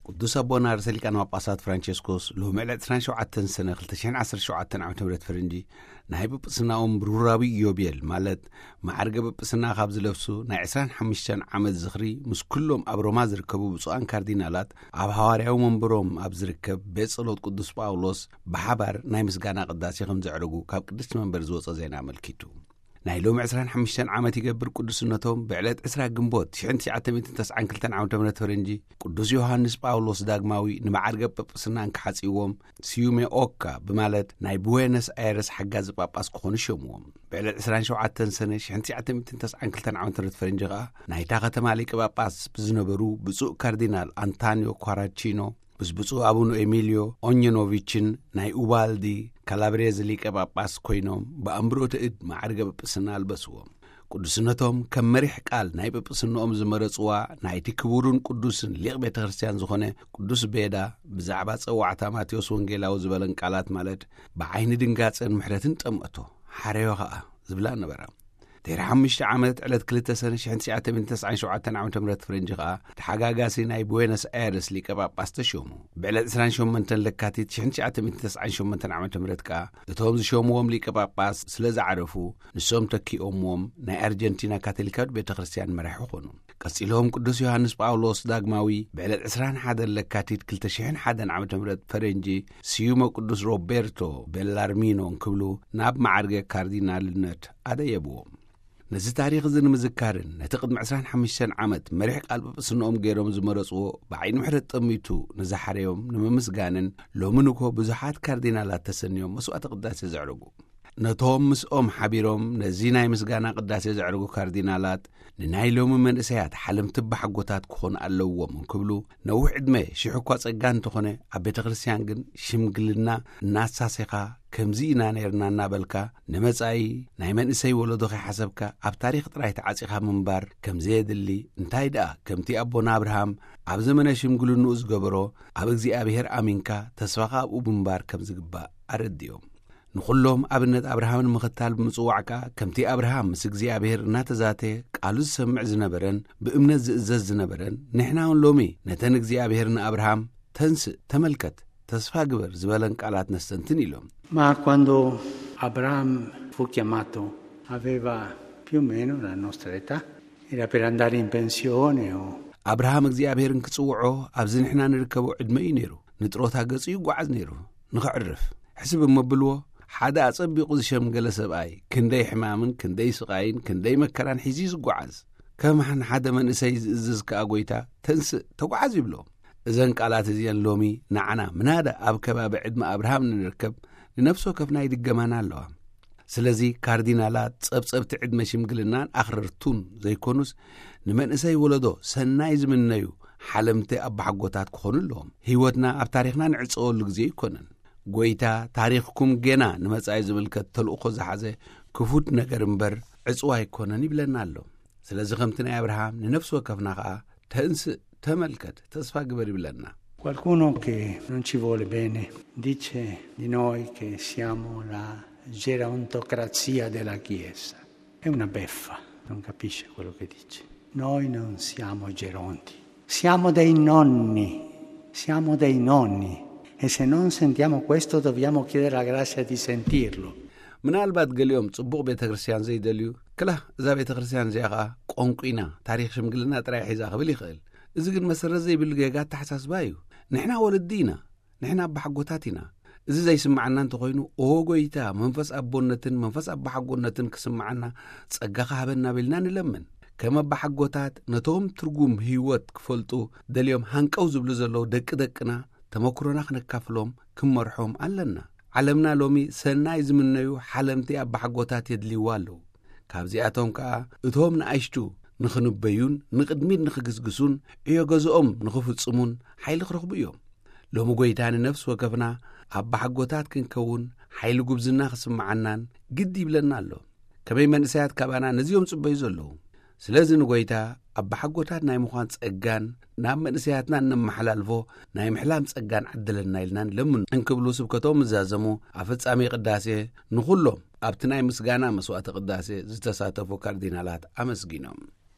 ቅዱስ ኣቦና ርእሰ ሊቃነ ጳጳሳት ፍራንቸስኮስ ሎሚ ዕለት ዕስራን ሸውዓተን ሰነ ክልተ ሽሕን ዓሰርተ ሸውዓተን ዓመተ ምህረት ፈረንጂ ናይ ጵጵስናኦም ብሩራዊ ኢዮቤል፣ ማለት ማዕርገ ጵጵስና ካብ ዝለብሱ ናይ ዕስራን ሓሙሽተን ዓመት ዝኽሪ፣ ምስ ኩሎም ኣብ ሮማ ዝርከቡ ብፁዓን ካርዲናላት ኣብ ሃዋርያዊ መንበሮም ኣብ ዝርከብ ቤት ጸሎት ቅዱስ ጳውሎስ ብሓባር ናይ ምስጋና ቅዳሴ ከም ዘዕረጉ ካብ ቅድስቲ መንበር ዝወጸ ዜና ኣመልኪቱ። ናይ ሎሚ ዕስራን ሓሙሽተን ዓመት ይገብር ቅዱስነቶም ብዕለት ዕስራ ግንቦት ሽሕን ትሽዓተ ሚእትን ተስዓን ክልተን ዓመተ ምህረት ፈረንጂ ቅዱስ ዮሃንስ ጳውሎስ ዳግማዊ ንመዓርገ ጵጵስና እንክሓጽይዎም፣ ስዩሜ ኦካ ብማለት ናይ ቡዌነስ ኣይረስ ሓጋዚ ጳጳስ ክኾኑ ሸምዎም። ብዕለት ዕስራን ሸውዓተን ሰነ ሽሕን ትሽዓተ ሚእትን ተስዓን ክልተን ዓመተ ምህረት ፈረንጂ ከኣ ናይታ ከተማ ሊቀ ጳጳስ ብዝነበሩ ብፁዕ ካርዲናል ኣንታንዮ ኳራቺኖ ምስ ብፁዕ ኣቡኑ ኤሚልዮ ኦኘኖቪችን ናይ ኡባልዲ ካላብሬዝ ሊቀ ጳጳስ ኮይኖም ብኣንብሮተ እድ መዓርገ ጵጵስና ኣልበስዎም። ቅዱስነቶም ከም መሪሕ ቃል ናይ ጵጵስንኦም ዝመረጽዋ ናይቲ ክቡርን ቅዱስን ሊቕ ቤተ ክርስቲያን ዝኾነ ቅዱስ ቤዳ ብዛዕባ ጸዋዕታ ማቴዎስ ወንጌላዊ ዝበለን ቃላት፣ ማለት ብዓይኒ ድንጋጸን ምሕረትን ጠምአቶ፣ ሓረዮ ኸኣ ዝብላ ነበራ። ድሕሪ ሓሙሽተ ዓመት ዕለት ክልተ ሰነ ሽሕን ትሽዓተ ሚእትን ተስዓን ሸውዓተን ዓመተ ምህረት ፈረንጂ ኸኣ ተሓጋጋሲ ናይ ቡዌነስ ኣይረስ ሊቀ ጳጳስ ተሾሙ። ብዕለት ዕስራን ሸሞንተን ለካቲት ሽሕን ትሽዓተ ሚእትን ተስዓን ሸሞንተን ዓመተ ምህረት ከኣ እቶም ዝሾምዎም ሊቀ ጳጳስ ስለ ዝዓረፉ ንሶም ተኪኦምዎም ናይ ኣርጀንቲና ካቶሊካዊት ቤተ ክርስቲያን መራሒ ኾኑ። ቀጺሎም ቅዱስ ዮሃንስ ጳውሎስ ዳግማዊ ብዕለት ዕስራን ሓደን ለካቲት ክልተ ሽሕን ሓደን ዓመተ ምህረት ፈረንጂ ስዩመ ቅዱስ ሮቤርቶ ቤላርሚኖ እንክብሉ ናብ መዓርገ ካርዲናልነት ኣደየብዎም። ነዚ ታሪኽ እዚ ንምዝካርን ነቲ ቅድሚ ዕስራን ሓሙሽተን ዓመት መሪሕ ቃል ጵጵስንኦም ገይሮም ዝመረጽዎ ብዓይኒ ምሕረት ጠሚቱ ንዝሓረዮም ንምምስጋንን ሎሚ ንኮ ብዙሓት ካርዲናላት ተሰንዮም መስዋዕተ ቅዳሴ ዘዕረጉ። ነቶም ምስኦም ሓቢሮም ነዚ ናይ ምስጋና ቅዳሴ ዘዕረጉ ካርዲናላት ንናይ ሎሚ መንእሰያት ሓለምቲ ኣባሓጎታት ክኾኑ ኣለዎም እንክብሉ ነዊሕ ዕድመ ሽሕ እኳ ጸጋ እንተኾነ ኣብ ቤተ ክርስቲያን ግን ሽምግልና እናሳሴኻ ከምዚ ኢና ነይርና እናበልካ ንመጻኢ ናይ መንእሰይ ወለዶ ከይሓሰብካ ኣብ ታሪኽ ጥራይ ተዓጺኻ ምንባር ከም ዘየድሊ እንታይ ደኣ ከምቲ ኣቦና ኣብርሃም ኣብ ዘመነ ሽምግልንኡ ዝገበሮ ኣብ እግዚኣብሔር ኣሚንካ ተስፋኻ ኣብኡ ምንባር ከም ዝግባእ ኣረድዮም። ንኹሎም ኣብነት ኣብርሃም ንምኽታል ብምጽዋዕ ከኣ ከምቲ ኣብርሃም ምስ እግዚኣብሔር እናተዛተ ቃሉ ዝሰምዕ ዝነበረን ብእምነት ዝእዘዝ ዝነበረን ንሕና እውን ሎሚ ነተን እግዚኣብሔር ንኣብርሃም ተንስእ፣ ተመልከት፣ ተስፋ ግበር ዝበለን ቃላት ነስተንትን ኢሎም። Ma quando Abramo fu chiamato aveva più o meno la nostra età, era per andare in pensione o ኣብርሃም እግዚኣብሔር እንክጽውዖ ኣብዚ ንሕና ንርከቦ ዕድመ እዩ ነይሩ። ንጥሮታ ገጹ ይጓዓዝ ነይሩ። ንኽዕርፍ ሕስብ እሞ ብልዎ፣ ሓደ ኣጸቢቑ ዝሸምገለ ሰብኣይ ክንደይ ሕማምን ክንደይ ስቓይን ክንደይ መከራን ሒዙ እዩ ዝጓዓዝ። ከም ሓደ መንእሰይ ዝእዝዝ ከኣ ጎይታ ተንስእ ተጓዓዝ ይብሎ። እዘን ቃላት እዚአን ሎሚ ንዓና ምናዳ ኣብ ከባቢ ዕድመ ኣብርሃም ንርከብ ንነፍሲ ወከፍና ይድገማና ኣለዋ። ስለዚ ካርዲናላት ጸብጸብቲ ዕድመ ሽምግልናን ኣኽረርቱን ዘይኮኑስ ንመንእሰይ ወለዶ ሰናይ ዝምነዩ ሓለምቲ ኣባሓጎታት ክኾኑ ኣለዎም። ህይወትና ኣብ ታሪኽና ንዕጸወሉ ግዜ ኣይኮነን። ጎይታ ታሪኽኩም ጌና ንመጻኢ ዝምልከት ተልእኾ ዝሓዘ ክፉት ነገር እምበር ዕጽዋ ኣይኮነን ይብለና ኣሎ። ስለዚ ከምቲ ናይ ኣብርሃም ንነፍሲ ወከፍና ኸኣ ተንስእ፣ ተመልከት፣ ተስፋ ግበር ይብለና። Qualcuno che non ci vuole bene dice di noi che siamo la gerontocrazia della Chiesa. È una beffa, non capisce quello che dice. Noi non siamo geronti, siamo dei nonni, siamo dei nonni. E se non sentiamo questo dobbiamo chiedere la grazia di sentirlo. ምናልባት ገሊኦም ጽቡቕ ቤተ ክርስቲያን ዘይደልዩ፣ ክላ እዛ ቤተ ክርስቲያን እዚኣ ኸኣ ቆንቁ ኢና፣ ታሪኽ ሽምግልና ጥራይ ሒዛ ክብል ይኽእል። እዚ ግን መሰረት ዘይብሉ ጌጋ ኣተሓሳስባ እዩ። ንሕና ወለዲ ኢና፣ ንሕና ኣባሓጎታት ኢና። እዚ ዘይስምዓና እንተኾይኑ፣ ኦ ጎይታ፣ መንፈስ ኣቦነትን መንፈስ ኣባሓጎነትን ክስምዓና ጸጋ ክሃበና ቢልና ንለምን። ከም ኣባሓጎታት ነቶም ትርጉም ህይወት ክፈልጡ ደልዮም ሃንቀው ዝብሉ ዘለዉ ደቂ ደቅና ተመክሮና ክነካፍሎም ክንመርሖም ኣለና። ዓለምና ሎሚ ሰናይ ዝምነዩ ሓለምቲ ኣባሓጎታት የድልይዋ ኣለዉ። ካብዚኣቶም ከኣ እቶም ንኣሽቱ ንኽንበዩን ንቕድሚት ንኽግስግሱን ዕዮ ገዝኦም ንኽፍጽሙን ሓይሊ ክረኽቡ እዮም። ሎሚ ጎይታ ንነፍሲ ወከፍና ኣባሓጎታት ክንከውን ሓይሊ ጉብዝና ክስምዓናን ግዲ ይብለና ኣሎ። ከመይ መንእሰያት ካባና ነዚኦም ጽበዩ ዘለዉ። ስለዚ ንጎይታ ኣባሓጎታት ናይ ምዃን ጸጋን ናብ መንእሰያትና እነመሓላልፎ ናይ ምሕላም ጸጋን ዓድለና ኢልናን ለምን እንክብሉ ስብከቶም ምዛዘሙ። ኣብ ፍጻሜ ቅዳሴ ንኹሎም ኣብቲ ናይ ምስጋና መስዋዕተ ቅዳሴ ዝተሳተፉ ካርዲናላት ኣመስጊኖም።